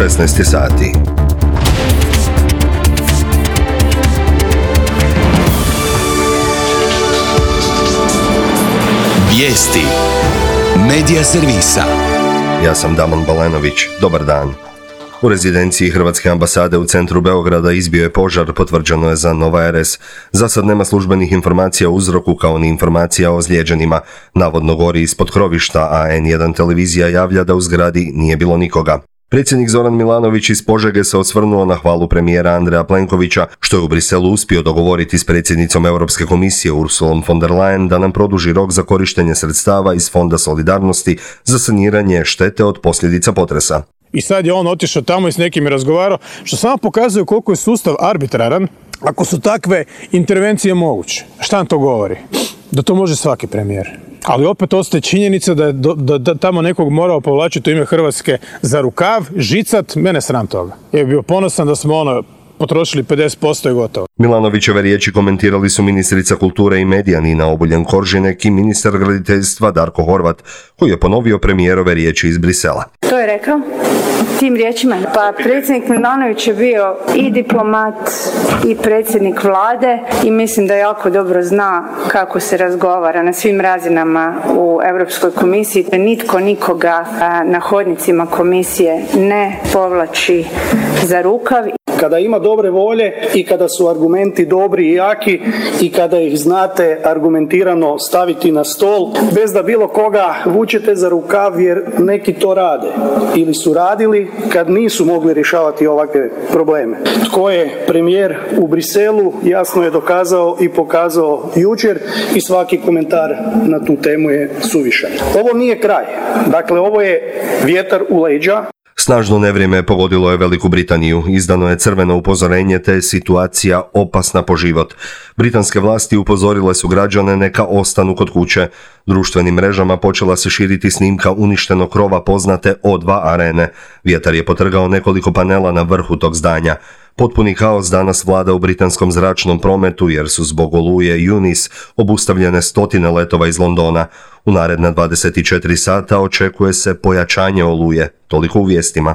16 sati. Vijesti Medija servisa. Ja sam Damon Balenović. Dobar dan. U rezidenciji Hrvatske ambasade u centru Beograda izbio je požar, potvrđeno je za Nova RS. Za sad nema službenih informacija o uzroku kao ni informacija o ozlijeđenima. Navodno gori ispod krovišta, a N1 televizija javlja da u zgradi nije bilo nikoga. Predsjednik Zoran Milanović iz Požege se osvrnuo na hvalu premijera Andreja Plenkovića, što je u Briselu uspio dogovoriti s predsjednicom Europske komisije Ursulom von der Leyen da nam produži rok za korištenje sredstava iz Fonda solidarnosti za saniranje štete od posljedica potresa. I sad je on otišao tamo i s nekim razgovarao, što samo pokazuje koliko je sustav arbitraran ako su takve intervencije moguće. Šta nam to govori? Da to može svaki premijer. Ali opet ostaje činjenica da tamo nekog morao povlačiti u ime Hrvatske za rukav, žicat, mene sram toga. Ja bih bio ponosan da smo potrošili 50% i gotovo. Milanovićeve riječi komentirali su ministrica kulture i medija Nina Obuljen-Koržinek i ministar graditeljstva Darko Horvat, koji je ponovio premijerove riječi iz Brisela. To je rekao tim riječima. Pa predsjednik Milanović je bio i diplomat i predsjednik vlade i mislim da jako dobro zna kako se razgovara na svim razinama u Europskoj komisiji. Nitko nikoga na hodnicima komisije ne povlači za rukav. Kada ima dobre volje i kada su argumenti dobri i jaki i kada ih znate argumentirano staviti na stol, bez da bilo koga vučete za rukav jer neki to rade ili su radili kad nisu mogli rješavati ovakve probleme. Tko je premijer u Briselu jasno je dokazao i pokazao jučer i svaki komentar na tu temu je suvišan. Ovo nije kraj. Dakle, ovo je vjetar u leđa. Snažno nevrijeme pogodilo je Veliku Britaniju. Izdano je crveno upozorenje te je situacija opasna po život. Britanske vlasti upozorile su građane neka ostanu kod kuće. Društvenim mrežama počela se širiti snimka uništenog krova poznate O2 arene. Vjetar je potrgao nekoliko panela na vrhu tog zdanja. Potpuni kaos danas vlada u britanskom zračnom prometu jer su zbog oluje Eunice obustavljene stotine letova iz Londona. U naredna 24 sata očekuje se pojačanje oluje. Toliko u vijestima.